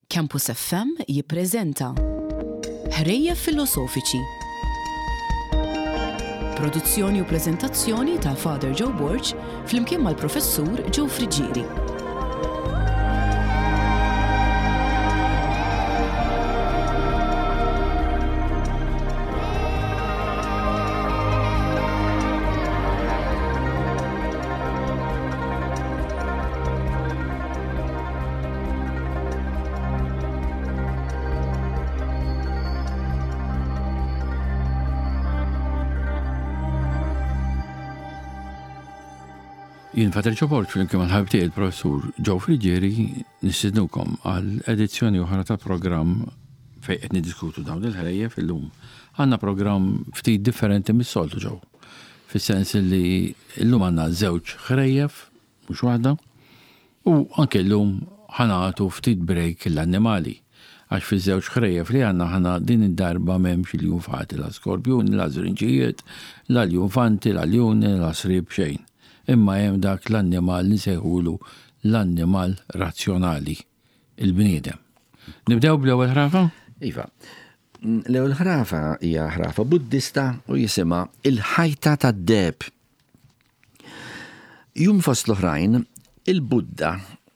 Campus FM jippreżenta Ħrejjef Filosofiċi. Produzzjoni u preżentazzjoni ta' Father Joe Borg flimkien mal-Professur Joe Friggieri. Jien Fater Ġoborġ flimkien mal-ħabib tiegħi il-Professur Joe Friggieri nistidnukom għal edizzjoni oħra ta' programm fejn qed niddiskutu dawn il-ħrejjef illum. Għandna programm ftit differenti mis-soltu Joe. Fis-sens li llum għandna żewġ ħrejjef mhux waħda, u anke llum ħa nagħtu ftit break lill-annimali, għax fiż-żewġ ħrejjef li għandna aħna din id-darba m'hemmx iljunfati, la skorpjuni, la żrinġijiet, la ljunfanti, la ljuni, la sriep xejn. Imma hemm dak l-annimal li nsejħulu l-annimal razzjonali, il-bniedem. Nibdew bl-ewwel ħrafa? Iva. L-ewwel ħrafa hija ħrafa Buddista u jisimha Il-ħajta tad-deheb. Jum fost l-oħrajn, il-Buddha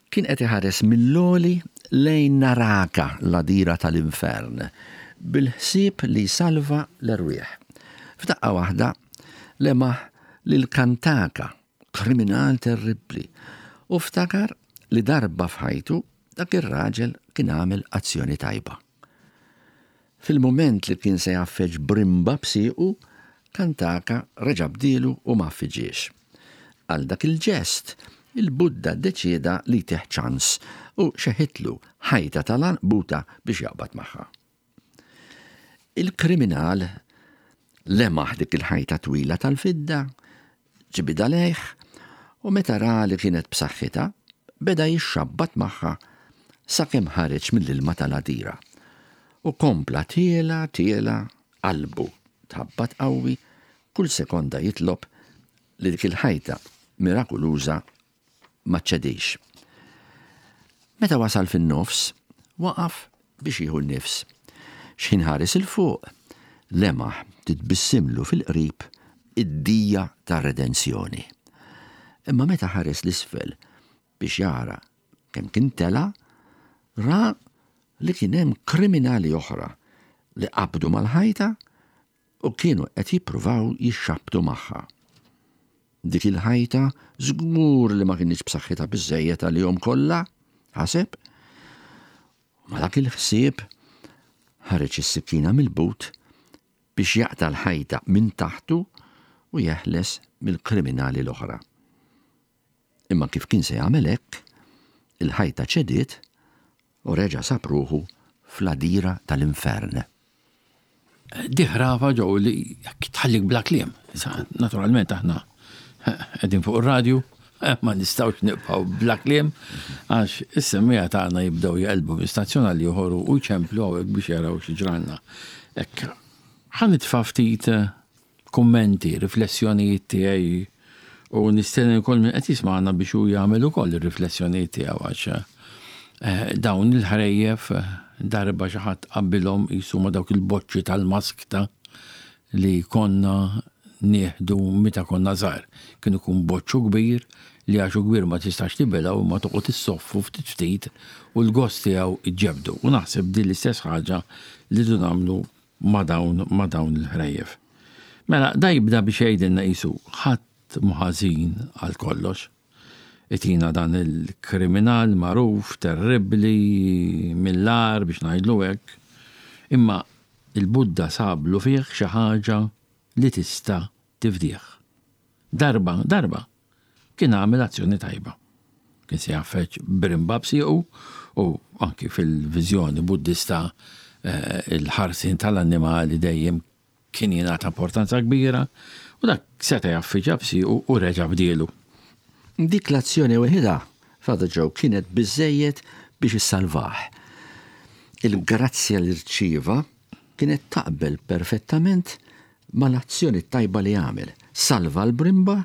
kien qed iħares mill-għoli lejn Naraka, l-għadira tal-infern, bil-ħsieb li jsalva l-erwieħ. F'daqqa waħda, lemaħ lil Kantaka, kriminal terribbli, u ftakar li darba f'ħajtu dak ir-raġel kien għamel azzjoni tajba. Fil-mument li kien se jgħaffeġ brimba b'siequ, Kantaka reġa' bdielu u m'għaffiġhiex. Għal dak il-ġest, il-Buddha ddeċieda li jtih ċans u xeħitlu ħajta tal-għanqbuta biex jaqbad magħha. Il-kriminal lemaħ dik il-ħajta twila tal-fidda, ġibidha lejh u meta ra li kienet b'saħħitha, beda jixxabbat magħha sakemm ħareġ mill-ilma tal-għadira. U kompla tiela' tiela' qalbu tħabbat qawwi, kull sekonda jitlob li dik il-ħajta mirakuluża ma ċċedix. Meta wasal fin-nofs, waqaf biex jieħu n-nifs. X'ħin ħares 'il fuq, lemaħ titbissimlu fil-qrib id-dija tar-redenzjoni. Imma meta ħares 'l isfel biex jara kemm kien tela', ra li kien hemm kriminali oħra li qabdu mal-ħajta u kienu qed jippruvaw jixxabbtu magħha. Dik il-ħajta żgur li ma kinitx b'saħħitha biżżejjed għalihom kollha, ħaseb. U ma' dak il-ħsieb ħareġ is-sikkina mill-but biex jaqta' l-ħajta minn taħtu u jeħles mill-kriminali l-oħra. Imma kif kien se jagħmel hekk, il-ħajta ċediet u reġa' sab ruħu fl-għadira tal-infern. Di ħrafa ġew li tħallik bla kliem. Naturalment aħna qegħdin fuq ir-radju, ma nistgħux nibqgħu bla kliem għax is-semmiegħa tagħna jibdew jaqilbu minn stazzjon għal ieħor u jċemplu hawnhekk biex jaraw xi ġralna. Hekk ħa nitfa' ftit kummenti, riflessjonijiet tiegħi u nistenni wkoll min qed jismagħna biex hu jagħmel ukoll ir-riflessjonijiet tiegħu għax eh, dawn il-ħrejjef darba xi ħadd qabbilhom qisu ma' dawk il-boċċi tal-maskta li konna nieħdu meta konna żgħar. Kien ikun boċċu kbir li għax hu kbir ma tistax tibilgħu imma toqgħod issoffu ftit ftit u l-gost tiegħu iġġebdu. U naħseb din l-istess ħaġa li rridu nagħmlu ma' dawn ma' dawn il-ħrejjef. Mela, da jibda biex jgħidilna qisu ħadd mhu ħażin għal kollox. Itina dan il-kriminal magħruf, terribbli, mill-agħar biex ngħidlu hekk. Imma il-Buddha sablu fih xi ħaġa li tista' tifdih. Darba, darba, kien għamel azzjoni tajba. Kien se jgħaffeġ brimba b'siequ u anki fil-viżjoni Buddista eh, il-ħarsien tal-annimali dejjem kien jingħata importanza kbira u dak seta' jgħaffiġha b'siequ u reġa' bdielu. Dik l-azzjoni weħidha, Father Joe, kienet biżżejjed biex issalvah. Il-grazzja li rċieva kienet taqbel perfettament mal-azzjoni t-tajba li għamel. Salva l-brimba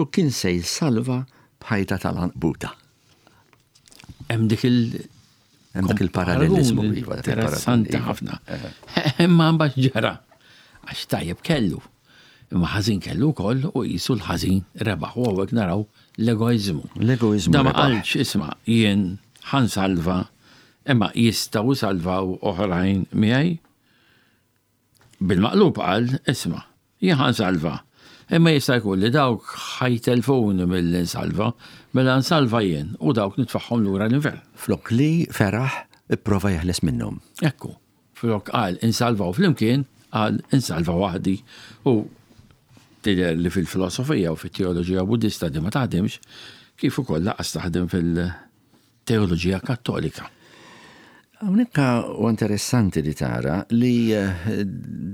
u kien se jsalva b'ħajta tal-għanqbuta. Hemm dik il- Hemm dak il-parallelizmu. Iva, interessanti ħafna. Imma mbagħad ġara għax tajjeb kellu. Imma ħażin kellu wkoll u qisu l-ħażin rebaħ u hawnhekk naraw l-egoiżmu. L-egoiżmu. Da ma qalx isma' jien ħansalva imma jistgħu salvaw oħrajn miegħi. Bil-maqlub qal, isma', jien ħa nsalva, imma jista' jkun li dawk ħa jtellfuni milli nsalva, mela nsalva jien u dawk nitfagħhom lura l-infern. Flok li feraħ ipprova jeħles minnhom. Ekku, flok qal insalvaw flimkien, qal insalva waħdi. U tidher li fil-filosofija u fit-teoloġija Buddista din ma taħdimx, kif ukoll lanqas taħdem fil- teoloġija Kattolika. Hawnhekk huwa interessanti li tara li eh,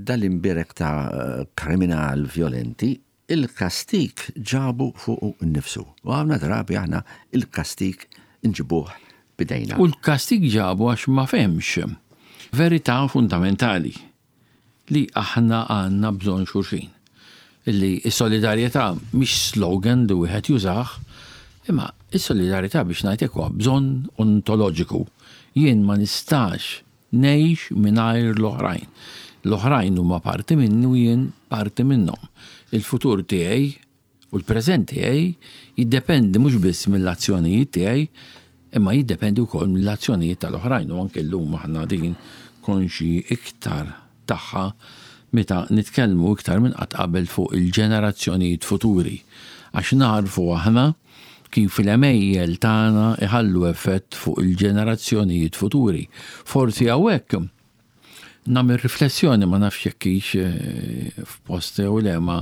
dal-imbierek ta' eh, kriminal violenti il-kastik ġabu fuq nnifsu. U għamna drabi aħna il-kastik nġibuh bidejna. U l-kastik ġabu għax ma fehmx verità fundamentali. li aħna għandna bżonn xulxin. Illi s-solidarjetà mhix slogan li wieħed jużah, imma s-solidarjetà biex ngħid hekk huwa bżonn ontoloġiku. Jien ma nistax ngħix mingħajr l-oħrajn. L-oħrajn huma parti minni u jien parti minnhom. Il-futur tiegħi U l-preżent tiegħi jiddependi mhux biss mill-azzjonijiet tiegħi, imma jiddependi wkoll mill-azzjonijiet tal-oħrajn u anke llum aħna din konxji iktar tagħha meta nitkellmu iktar minn qatt qabel fuq il-ġenerazzjonijiet futuri. Għax nagħrfu aħna kif l-għemejjel tagħna jħallu effett fuq il-ġenerazzjonijiet futuri. Forsi hawnhekk Nagħmel riflessjoni ma nafx jekk hix eh, f'post jew le ma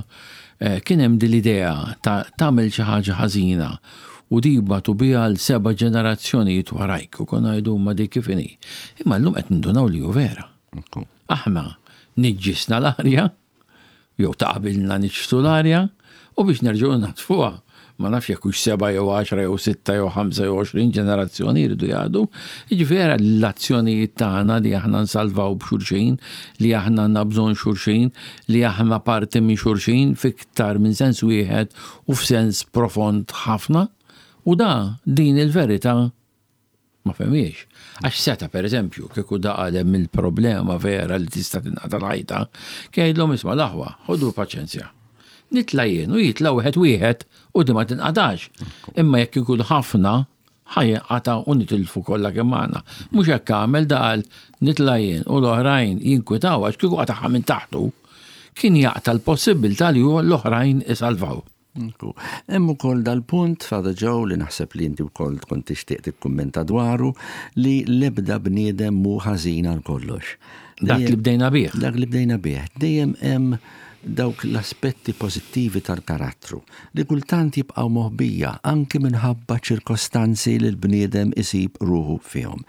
eh, kien hemm din l-idea ta' tagħmel xi ħaġa ħażina u dibatu biha l seba' ġenerazzjonijiet warajk u konna ngħidu ma dik kif inhi. Imma llum qed nindunaw li hu vera. Aħna niġġisna l-arja jew ta' qabilna niġġsu l-arja u biex nerġgħu nnaddfuha. Ma nafx jekk hux seba' jew għaxra jew sitta jew ħamsa jew 20 ġenerazzjoni jridu jgħaddu. Jiġifieri era l-azzjonijiet tagħna li aħna nsalvaw b'xulxin, li aħna għandna bżonn xulxin, li aħna parti minn xulxin f'iktar minn sens wieħed u f'sens profond ħafna. U da din il-verità Ma fehmiex. Għax seta' per eżempju, kieku da qal hemm il-problema vera li tista' tinqata' l-ħajta, kien jgħidlhom isma' l-aħwa, ħodu paċenzja. Nitla' jien u jitla' wieħed wieħed u di ma tinqatax. Imma jekk ikun ħafna, ħa jinqata' u nitilfu kollha kemm aħna. Mhux hekk għamel da qal nitla' jien u l-oħrajn jinkwitaw għax kieku qatagħha minn taħtu, kien jaqta' l-possibbiltà li hu l-oħrajn isalvaw. Hemm ukoll dal-punt, Father Joe, li naħseb li inti wkoll tkun tixtieq tikkummenta dwaru, li l-ebda bniedem mhu ħażin għal kollox. Dak li bdejna bih. Dak li bdejna bih. Dejjem hemm dawk l-aspetti pożittivi tal-karattru li kultant jibqgħu moħbija anki minħabba ċirkostanzi li l-bniedem isib ruħu fihom.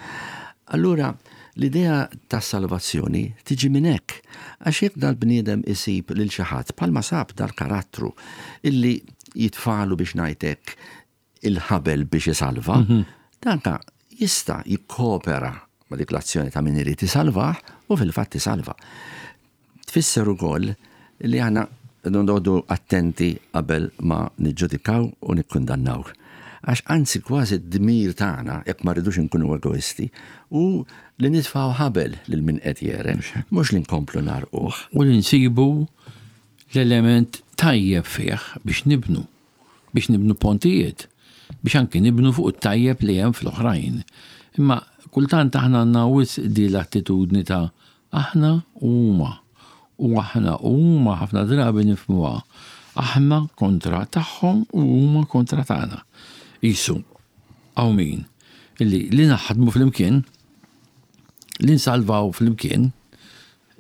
Allura, L-idea tas-salvazzjoni tiġi minn hekk, għax jekk dal-bniedem isib lil xi ħadd bħalma sab dal-karattru illi jitfagħlu biex ngħid hekk il-ħabel biex isalva, danka jista' jikkopera ma' dik l-azzjoni ta' min irid isalvah u fil-fatt isalva. Tfisser ukoll li aħna noqogħdu attenti qabel ma niġġudikaw u nikkundannaw. Għax anzi kważi d-dmir tagħna, jekk ma rridux inkunu egoisti, hu li nitfgħu ħabel lil min qed jegħreq, mhux li nkomplu ngħarrquh. U li nsibu l-element tajjeb fih biex nibnu, biex nibnu pontijiet, biex anki nibnu fuq it-tajjeb li hemm fl-oħrajn. Imma kultant aħna għandna wisq di l-attitudni ta' Aħna u huma. U aħna u huma ħafna drabi nifhmuha aħna kontra tagħhom u huma kontra tagħna. Qisu hawn min illi li naħdmu flimkien, li nsalvaw flimkien,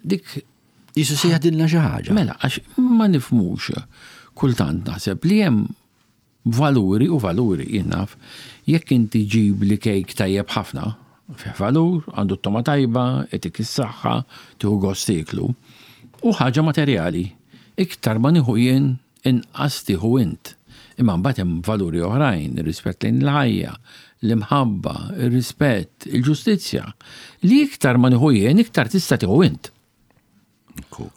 dik Qisu se jgħadilna xi ħaġa. Mela, għax ma nifhmux kultant naħseb li hemm Valuri u valuri, jien naf, jekk inti ġibli kejk tajjeb ħafna, fih valur, għandu t-togħma tajba, itik is-saħħa, tieħu gost tieklu, hu ħaġa materjali. Iktar ma nieħu jien, inqas tieħu int. Imma mbagħad hemm valuri oħrajn, ir-rispett lejn il-ħajja, l-imħabba, ir-rispett, il-ġustizzja, li iktar ma nieħu jien, iktar tista' tieħu int.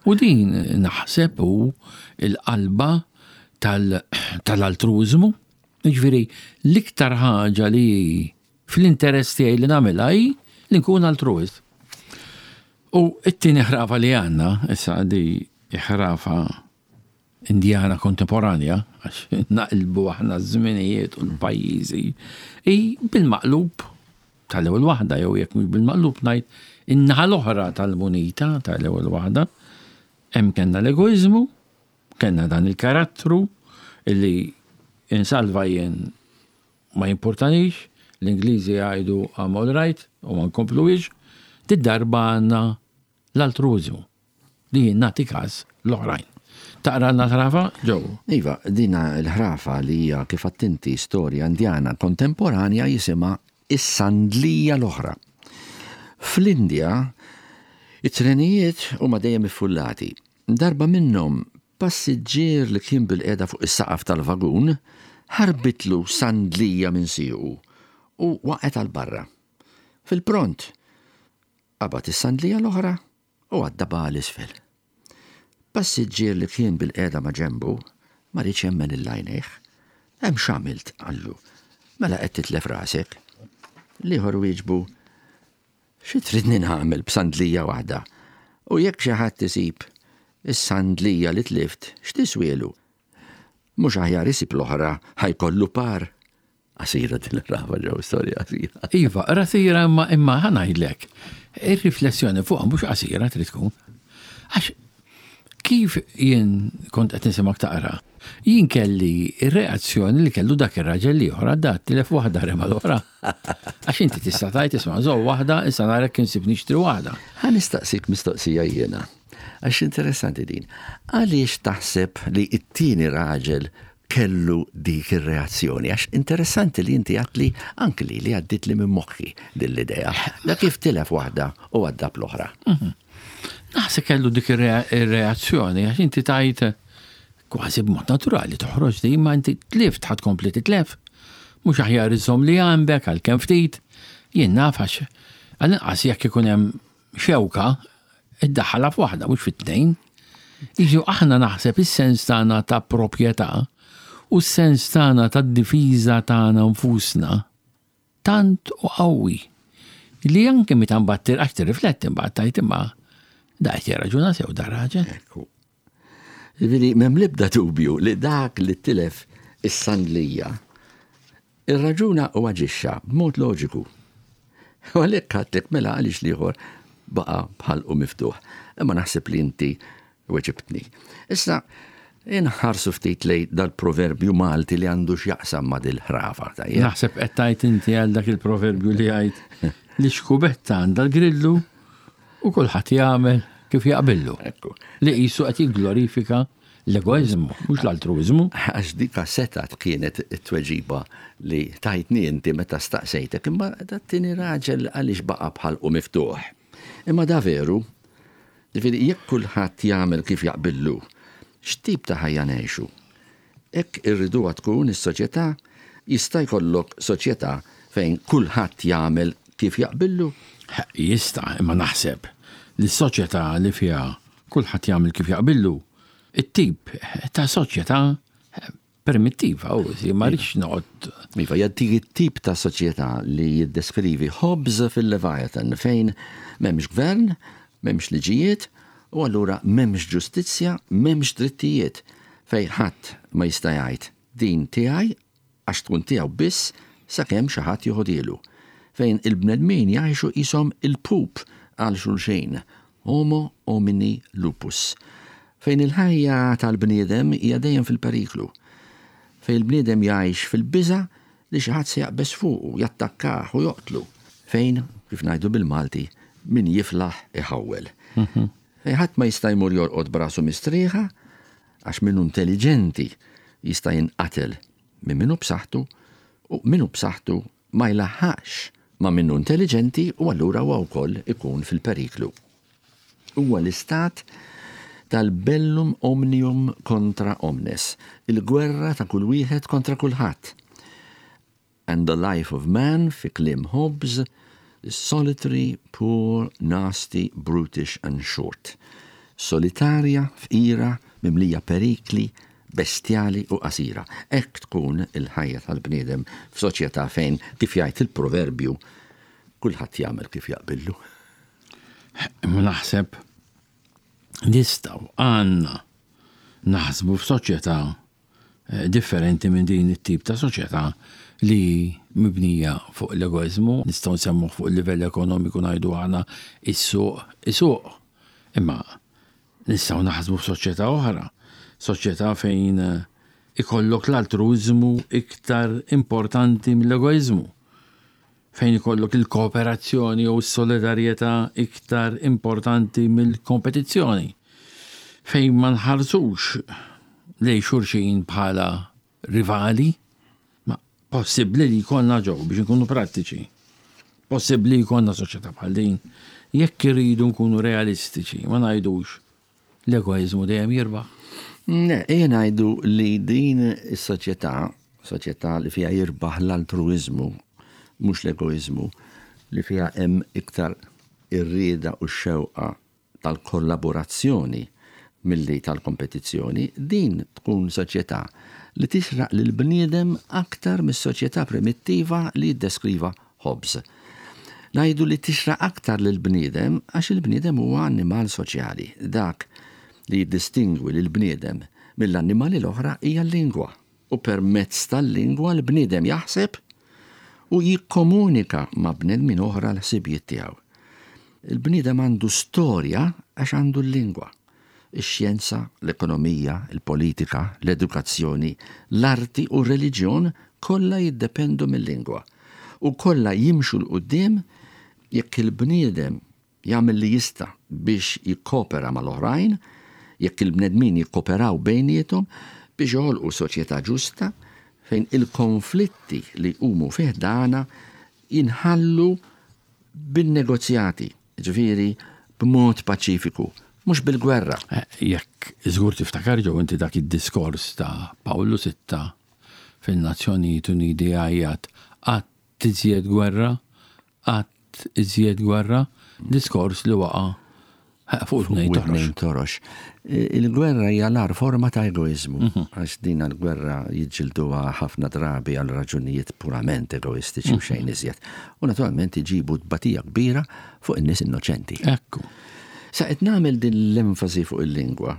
U din naħseb hu l-qalba tal-altruiżmu. Jiġifieri l-iktar ħaġa li fl-interess tiegħi li nagħmilha hi li nkun altruist. U t-tieni ħrafa li għandna, issa di ħrafa Indjana kontemporanja, għax naqilbu aħna ż-żminijiet u l-pajjiżi, hi bil-maqlub tal-ewwel waħda, jew jekk mhux bil-maqlub ngħid in-naħa l-oħra tal-munita tal-ewwel waħda. Hemm kellna l-egoiżmu, kellna dan il-karattru li insalva jien ma jimpurtanix, l-Ingliżi jgħidu I'm all right u ma nkompluhiex, did-darba għandna l-altruiżmu. Li jien nagħti każ l-oħrajn. Taqralna l-ħrafa, Joe? Iva, dina l-ħrafa li hija kif għedt inti storja Indjana kontemporanja jisimha Is-Sandlija l-Oħra. Fl-Indja, it-trenijiet huma dejjem iffullati. Darba minnhom, passiġġier li kien bilqiegħda fuq is-saqaf tal-vagun ħarbitlu sandlija minn siequ u waqgħet għal barra. Fil-pront, qabad is-sandlija l-oħra u għaddabha għal isfel. Passiġġier li kien bilqiegħda ma' ġenbu ma riedx jemmen 'il għajnejh. Hemm x'għamilt, qallu. Mela qed titlef rasek. L-ieħor wieġbu, Xi tridni nagħmel b'sandlija waħda? U jekk xi ħadd isib is-sandlija li tlift, x'tiswielu? Mhux aħjar isib l-oħra ħa jkollu par? Qasira din il-rafa ġew storja qasira. Iva, qasira imma imma ħa ngħidlek, ir-riflessjoni fuqha mhux qasira trid tkun. Għax kif jien kont qed nisimgħek taqra, jien kelli r-reazzjoni li kellu dak ir-raġel l-ieħor għadda tilef waħda rema l-oħra. Għax inti tista' tgħid isma' żomm waħda, issa nara jekk insib nixtri waħda. Ħa nistaqsik mistoqsija jiena. Għax interessanti din. Għaliex taħseb li t-tieni raġel kellu dik ir-reazzjoni? Għax interessanti li inti għedt li anki lili għaddietli minn moħħi din l-idea. Da kif tilef waħda u għadda bl-oħra. Mhm. Naħseb kellu dik ir-reazzjoni għax inti tajt kważi b'mod naturali toħroġ di ma inti tlift ħadd kompli titlef. Mhux aħjar iżomm li għandek għalkemm ftit. Jien naf għax għall-inqas jekk ikun hemm xewka iddaħħalha f'waħda mhux fit-tnejn. Jiġu aħna naħseb is-sens tagħna ta' proprjetà u s-sens tagħna tad-difiża tagħna nfusna tant u qawwi li anke meta mbagħad għax tirrifletti mbagħad tgħid imma da qed jirraġuna sew da raġel. Ekku. Ġifieri m'hemm l-ebda dubju li dak li tilef is-sandlija Irraġuna u aġixxa b'mod loġiku. U għalhekk għedtlek mela għaliex l-ieħor baqa' b'ħalqu miftuħ. Imma naħseb li inti weġibtni. Issa, inħarsu ftit lejn dal-proverbju Malti li għandu x'jaqsam ma' dil-ħrafa, tajjeb? Naħseb qed tgħid inti għal dak il-proverbju li jgħid li xkubetta għandha l-grillu u kulħadd jagħmel kif jaqbillu. Ekku. Li qisu qed jigglorifika L-egoiżmu, mhux l-altruiżmu. Għax dika setgħet kienet it-tweġiba li tajtni inti meta staqsejtek, imma dat-tieni raġel għaliex baqa' b'ħalqu miftuħ? Imma da veru? Ġifieri jekk kulħadd jagħmel kif jaqbillu, x'tip ta' ħajja ngħixu? Hekk irriduha tkun is-soċjetà? Jista' jkollok soċjetà fejn kulħadd jagħmel kif jaqbillu? Jista', imma naħseb li s-soċjetà li fiha kulħadd jagħmel kif jaqbillu It-tip ta' soċjetà primittiva, u ma rridx noqgħod. Iva, hija dik it-tip ta' soċjetà li jiddeskrivi Hobbes fil-Leviathan fejn m'hemmx gvern, m'hemmx liġijiet, u allura m'hemmx ġustizzja, m'hemmx drittijiet, fejn ħadd ma jista' jgħid din tiegħi għax tkun tiegħu biss sakemm xi ħadd joħodhielu, fejn il-bnedmin jgħixu qishom il-pup għal xulxin, homo homini lupus, fejn il-ħajja tal-bniedem hija dejjem fil-periklu, fejn il-bniedem jgħix fil-biża' li xi ħadd se jaqbeż fuqu, jattakkah u joqtlu, fejn, kif ngħidu bil-Malti, min jiflaħ iħawwel. Fejn ħadd ma jista' jmur jorqod b'rasu mistrieħa għax min hu intelliġenti jista' jinqatel minn min hu b'saħħtu u min hu b'saħħtu ma jlaħħaqx ma' min hu intelliġenti u allura huwa wkoll ikun fil-periklu. Huwa l-istat tal-bellum omnium contra omnes, il-gwerra ta' kull wieħed kontra kulħadd. And the life of man, fi kliem Hobbes, is solitary, poor, nasty, brutish and short. Solitarja, fqira, mimlija perikli, bestjali u qasira. Hekk tkun il-ħajja tal-bniedem f'soċjetà fejn, kif jgħid il-proverbju, kulħadd jagħmel kif jaqbillu. Imma naħseb nistgħu għandna naħsbu f'soċjetà eh, differenti minn din it-tip ta' soċjetà li mibnija fuq l-egoizmu, nistgħu nsemmuh fuq il-livell ekonomiku ngħidu aħna is-suq isuq. Imma nistgħu naħsbu f'soċjetà oħra, soċjetà fejn eh, ikollok l-altruiżmu iktar importanti mill-egoizmu fejn ikollok il-kooperazzjoni jew is-solidarjetà iktar importanti mill-kompetizzjoni, fejn ma nħarsux lejn xulxin bħala rivali, ma possibbli li jkollna ġew biex inkunu prattiċi. Possibbli jkollna soċjetà bħal din jekk irridu nkunu realistiċi, ma ngħidux L-egoiżmu dejjem jirbaħ? Le, ejja ngħidu li din is-soċjetà, soċjetà li fiha jirbaħ l-altruiżmu, mhux l-egoiżmu, li fiha hemm iktar ir-rieda u x-xewqa tal-kollaborazzjoni milli tal-kompetizzjoni, din tkun soċjetà li tixraq lill-bniedem aktar mis-soċjetà primittiva li jiddeskriva Hobbes. Ngħidu li tixraq aktar lill-bniedem għax il-bniedem huwa annimal soċjali. Dak li jiddistingwi lill-bniedem mill-annimali l-oħra hija l-lingwa. U permezz tal-lingwa l-bniedem jaħseb u jikkomunika ma' bnedmin oħra l-ħsibijiet tiegħu. Il-bniedem għandu storja għax għandu l-lingwa. Ix-xjenza, l-ekonomija, il-politika, l-edukazzjoni, l-arti u r-reliġjon kollha jiddependu mil-lingwa u kollha jimxu 'l quddiem jekk il-bniedem jagħmel li jista' biex jikkopera mal-oħrajn, jekk il-bnedmin jikkoperaw bejniethom biex joħolqu soċjetà ġusta fejn il-konflitti li jqumu fi ħdanha jinħallu bin-negozjati. Jiġifieri b'mod paċifiku, mhux bil-gwerra. Jekk żgur tiftakar ġew inti dak id-diskors ta' Pawlu Sitta fin-Nazzjonijiet Uniti jgħajjat qatt iżjed gwerra, qatt iżjed gwerra, diskors li waqa' fuq widnejn torox. Il-gwerra hija l-agħar forma ta' egoiżmu, mhm. għax din l-gwerra jiġġilduha ħafna drabi għal raġunijiet purament egoistiċi u mhm. xejn iżjed. U naturalment iġibu tbatija kbira fuq in-nies innoċenti. Ekku. Sa qed nagħmel din l-enfasi fuq il-lingwa.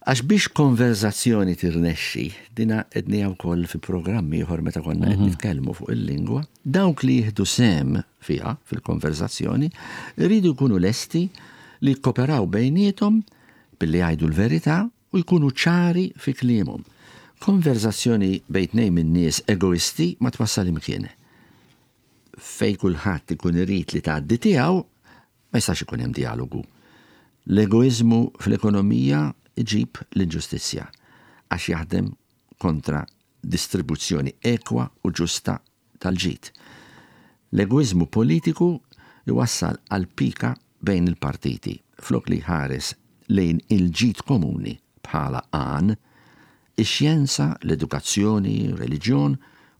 Għax biex konverzazzjoni tirnexxi, dina qednija wkoll fi programm ieħor meta konna qed mhm. nitkellmu fuq il-lingwa, dawk li jieħdu sehem fiha fil-konverzazzjoni jridu jkunu lesti li jikkoperaw bejniethom billi jgħidu l-verità u jkunu ċari fi kliemhom. Konverzazzjoni bejn tnejn min-nies egoisti ma twassal imkien. Fejn kulħadd ikun irid li tgħaddi tiegħu, ma jistax ikun hemm djalogu. L-egoiżmu fl-ekonomija jġib l-inġustizzja għax jaħdem kontra distribuzzjoni ekwa u ġusta tal-ġid. L-egoiżmu politiku jwassal għal pika bejn il-partiti, flok li jħares lejn il-ġid komuni bħala għan. Ix-xjenza, l-edukazzjoni, reliġjon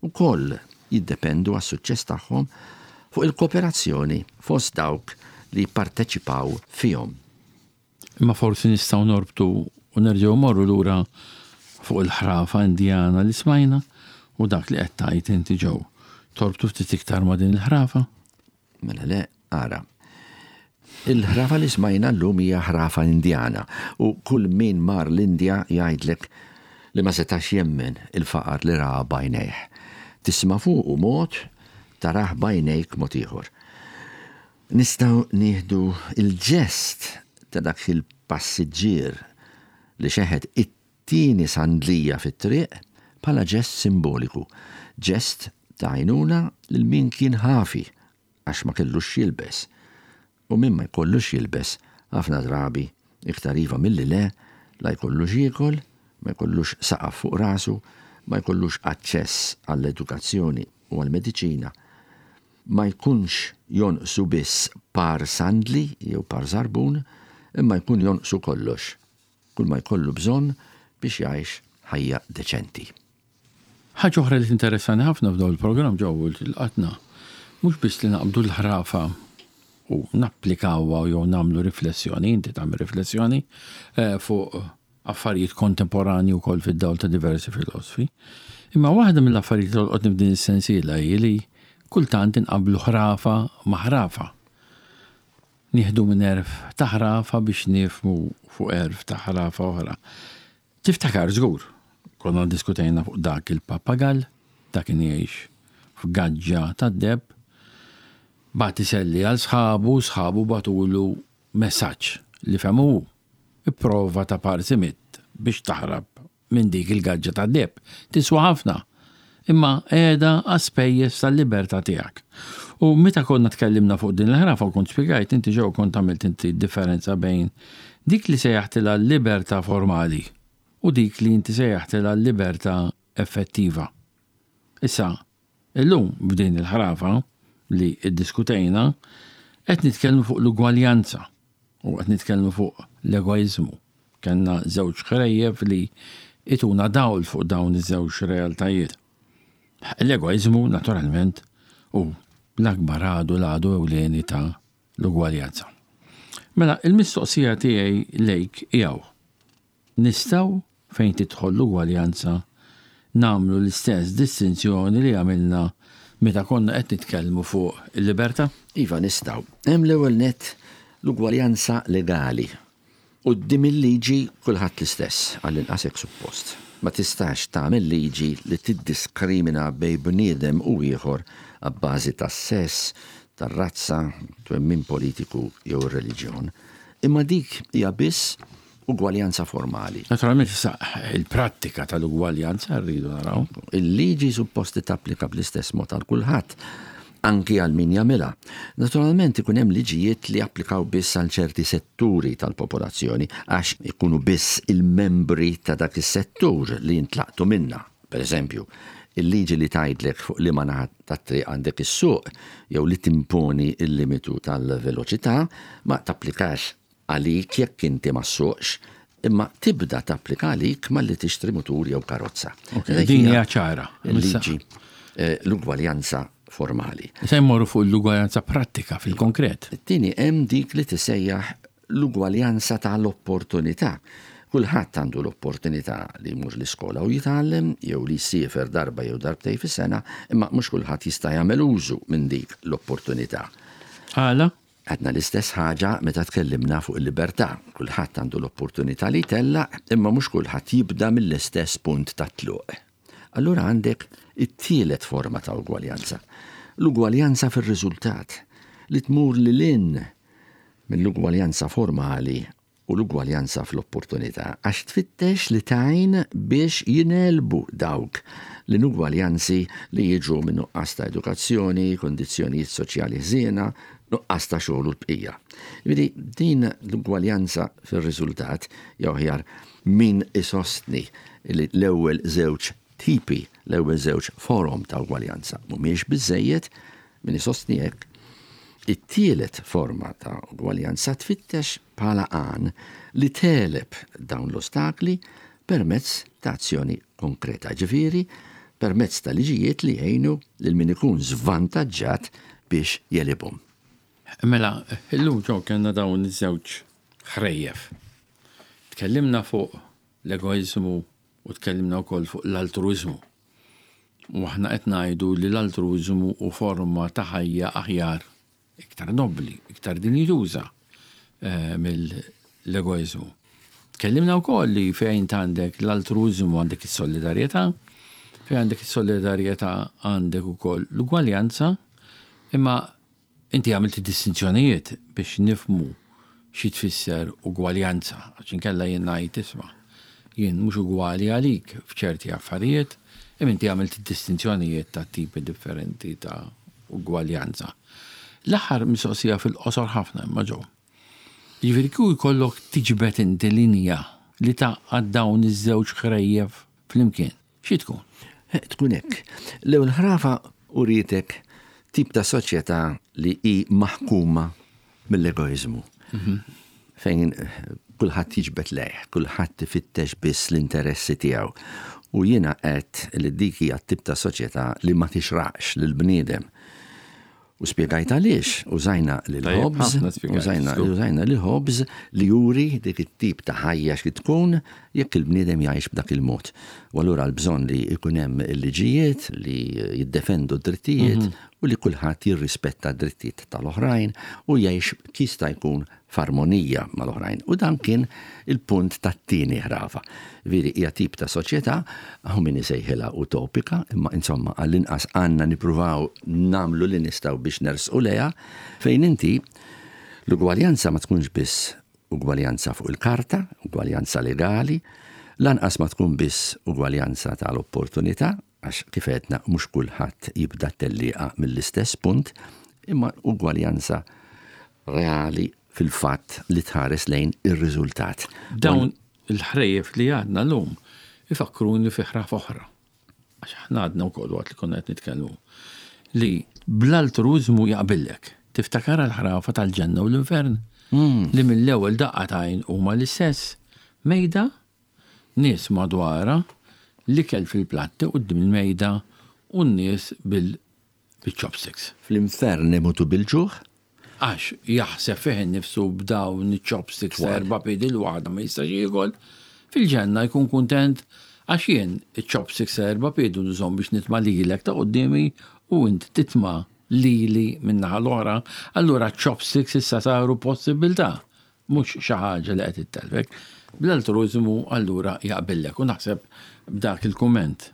ukoll jiddependu għas-suċċess tagħhom fuq il-kooperazzjoni fost dawk li jipparteċipaw fihom. Imma forsi nistgħu norbtu u nerġgħu mmorru lura fuq il-ħrafa Indjana li smajna u dak li qed tgħid inti Joe. Torbtu ftit iktar ma' din il-ħrafa? Mela le, ara. Il-ħrafa li smajna llum hija ħrafa Indjana u kull min mar l-Indja jgħidlek li ma setax jemmen il-faqar li ra b'għajnejh. Tisma' fuqu mod, tarah b'għajnejk mod ieħor. Nistgħu nieħdu l-ġest ta' dak il-passiġġier li xeħet it-tieni sandlija fit-triq bħala ġest simboliku, ġest ta' għajnuna lil min kien ħafi għax ma kellux x'jilbes. U min ma jkollux x'jilbes, ħafna drabi, iktar iva milli le, la jkollu x'jiekol, ma jkollux saqaf fuq rasu, ma jkollux aċċess għall-edukazzjoni u għall-mediċina. Ma jkunx jonqsu biss par sandli jew par żarbun, imma jkun jonqsu kollox, kull ma jkollu bżonn biex jgħix ħajja deċenti. Ħaġa oħra li tinteressani ħafna f'dawn il-programm ġew il-qatna, mhux biss li naqbdu l-ħrafa u napplikawha jew nagħmlu riflessjoni, inti tagħmel riflessjoni eh, fuq affarijiet kontemporanji wkoll fid-dawl ta' diversi filosfi. Imma waħda mill-affarijiet li tolqotni f'din is-sensiela hi li kultant inqabblu ħrafa ma' ħrafa. Nieħdu minn għerf ta' ħrafa biex nifhmu fuq għerf ta' ħrafa oħra. Tiftakar żgur, konna ddiskutejna fuq dak il-pappagall, dak kien jgħix f'gaġġa tad-deheb, bagħat iselli għal sħabu, sħabu bagħtulu messaġġ li fehmu hu. Ipprova ta' parsi mitt biex taħrab minn dik il-gaġġa tad-deheb. Tiswa ħafna, imma qiegħda għas-spejjeż tal-libertà tiegħek. U meta konna tkellimna fuq din il-ħrafa u kont spjegajt inti ġew kont għamilt inti d-differenza bejn dik li sejjaħtilha l-libertà formali u dik li inti sejjaħtilha l-libertà effettiva. Issa, illum f'din il-ħrafa li ddiskutejna qed nitkellmu fuq l-ugwaljanza u qed nitkellmu fuq l-egoiżmu. Kellna żewġ ħrejjef li ituna dawl fuq dawn iż-żewġ realtajiet. L-egoiżmu, naturalment, hu l-akbar għadu l-għadu ewlieni ta' l-ugwaljanza. Mela, il-mistoqsija tiegħi lejk hi hawn. Nistgħu, fejn tidħol l-ugwaljanza, nagħmlu l-istess distinzjoni li għamilna meta konna qed nitkellmu fuq il-libertà? Iva, nistgħu. Hemm l-ewwel nett l-ugwaljanza legali. Quddiem il-liġi kulħadd l-istess, għall-inqas hekk suppost. Ma tistax tagħmel liġi li tiddiskrimina bejn bniedem u ieħor abbażi tas-sess, tar-razza, twemmin politiku jew ir-reliġjon. Imma dik hija biss ugwaljanza formali. Naturalment issa il-prattika tal-ugwaljanza rridu naraw. Il-liġi suppost tapplika bl-istess mod għal kulħadd anki għal min jagħmilha. Naturalment ikun hemm liġijiet li japplikaw biss għal ċerti setturi tal-popolazzjoni għax ikunu biss il-membri ta' dak is-settur li jintlaqtu minnha. Per eżempju, il-liġi li tgħidlek fuq liema naħa tat-triq għandek issuq jew li timponi l-limitu tal-veloċità ma tapplikax għalik jekk inti ma ssuqx, imma tibda tapplika għalik malli tixtri mutur jew karozza. Din hija ċara. Il-liġi eh, l-ugwaljanza formali. Se jmorru fuq l-ugwaljanza prattika fil-konkret. It-tieni hemm dik li tisejjaħ l-ugwaljanza tal-opportunità. Kulħadd għandu l-opportunità li jmur l-iskola u jitgħallem jew li jsiefer darba jew darbtej fis-sena, imma mhux kulħadd jista' jagħmel użu minn dik l-opportunità. Għala? Għedna l-istess ħaġa meta tkellimna fuq il-libertà. Kulħadd għandu l-opportunità li jtellaq, imma mhux kulħadd jibda mill-istess punt tat-tluq. Allura għandek it-tielet forma ta' ugwaljanza, l-ugwaljanza fir-riżultat, li tmur lil hinn mill-ugwaljanza formali u l-ugwaljanza fl-opportunità għax tfittex li tgħin biex jingħelbu dawk l-inugwaljanzi li jiġu minn nuqqas ta' edukazzjoni, kundizzjonijiet soċjali ħżiena, nuqqas ta' xogħol u l-bqija. Jiġifieri din l-ugwaljanza fir-riżultat, jew aħjar min isostni li l-ewwel żewġ tipi, l-ewwel żewġ forom ta' ugwaljanza mhumiex biżżejjed, min isostni hekk, it-tielet forma ta' ugwaljanza tfittex bħala għan li tegħleb dawn l-ostakli permezz ta' azzjoni konkreta, ġifieri permezz ta' liġijiet li jgħinu lil min ikun żvantaġġat biex jegħlibhom. Mela, illum ġew kellna dawn iż-żewġ ħrejjef. Tkellimna fuq l-egoiżmu u tkellimna wkoll fuq l-altruiżmu. U aħna qed ngħidu li l-altruiżmu hu forma ta' ħajja aħjar, iktar nobbli, iktar dinjituża eh, mill-egoiżmu. Tkellimna wkoll li fejn għandek l-altruiżmu għandek is-solidarjetà, fejn għandek is-solidarjetà għandek ukoll l-ugwaljanza, imma Inti għamilt id-distinzjonijiet biex nifhmu xi tfisser ugwaljanza, għax inkella jien ngħid isma' jien mhux ugwali għalik f'ċerti affarijiet, imma inti għamilt id-distinzjonijiet ta' tipi differenti ta' ugwaljanza. L-aħħar mistoqsija fil-qosor ħafna imma Joe. Jiġifieri kieku jkollok tiġbed inti linja li tgħaqqad dawn iż-żewġ ħrejjef flimkien, Xi tkun? Tkun hekk. L-ewwel ħrafa urietek tip ta' soċjetà li hi maħkuma mill-egoiżmu. Mhm. Fejn kulħadd jiġbed lejh, kulħadd ifittex biss l-interessi tiegħu. U jiena qed li dik hija tip ta' soċjetà li ma tixraqx lill-bniedem. U spjegajt għaliex użajna lil Hobbes, użajna użajna lil Hobbes li juri dik it-tip ta' ħajja xi tkun jekk il-bniedem jgħix b'dak il-mod. U allura l-bżonn li jkun hemm il-liġijiet li jiddefendu d-drittijiet mhm. u li kulħadd jirrispetta d-drittijiet tal-oħrajn u jgħix jista' jkun f'armonija mal-oħrajn. U dan kien il-punt tat-tieni ħrafa. Veri hija tip ta' soċjetà, hawn min isejħilha utopika, imma insomma għall-inqas għandna nippruvaw nagħmlu li nistgħu biex nersqu lejha, fejn inti l-ugwaljanza ma tkunx biss ugwaljanza fuq il-karta, ugwaljanza legali, lanqas ma tkun biss ugwaljanza tal-opportunità, għax kif għedna mhux kulħadd jibda t-tellieqa mill-istess punt, imma ugwaljanza reali fil-fatt li tħares lejn ir-riżultat. Dawn il-ħrejjef li għadna llum ifakkruni fi ħraf oħra. Għax aħna għadna wkoll waqt li konna qed nitkellmu li bl-altruiżmu jaqbillek. Tiftakarha l-ħrafa tal-ġenna u l-infern? Li mill-ewwel daqqa t'għajn huma l-istess. Mejda, nies madwarha, l-ikel fil-platti quddiem il-mejda u n-nies bil biċ-chopsticks. Fl-infern imutu bil-ġuħ. Għax jaħseb fih innifsu b'dawn iċ-chopsticks ta' erba' piedi l-waħda ma jistax jiekol. Fil-ġenna jkun kuntent għax jien iċ-chopsticks ta' erba' piedi nużhom biex nitma' lilek ta' quddiemi u int titma' lili min-naħa l-oħra. Allura ċ-chopsticks issa saru possibbiltà. Mhux xi ħaġa li qed ittellfek. Bl-altruiżmu allura jaqbillek u naħseb b'dak il-kumment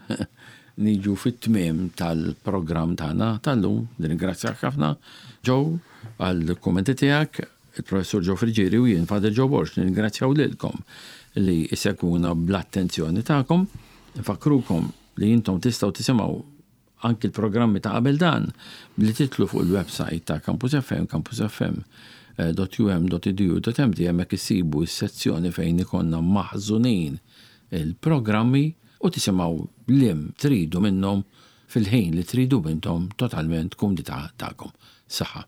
niġu fit-tmiem tal-programm tagħna tal-lum. Nirringrazzjak ħafna Joe għall-kummenti tiegħek, il-Professur Joe Friggieri u jien Father Joe Borg nirringrazzjaw lilkom li issegwuna bl-attenzjoni tagħkom. Nfakkrukom li intom tistgħu tisimgħu Anki l-programmi ta' qabel dan, billi tidħlu fuq il-websajt ta' Campus FM, campusfm.um.edu.mt, hemmhekk issibu s-sezzjoni fejn ikollna maħżunin il-programmi u tisimgħu liem tridu minnhom fil-ħin li tridu intom totalment kumdità tagħkom. Saħħa.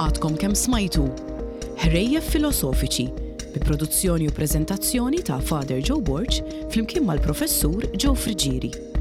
Għadkom kemm smajtu Ħrejjef Filosofiċi bi produzzjoni u preżentazzjoni ta' Father Joe Borg flimkien mal-Professur Joe Friggieri.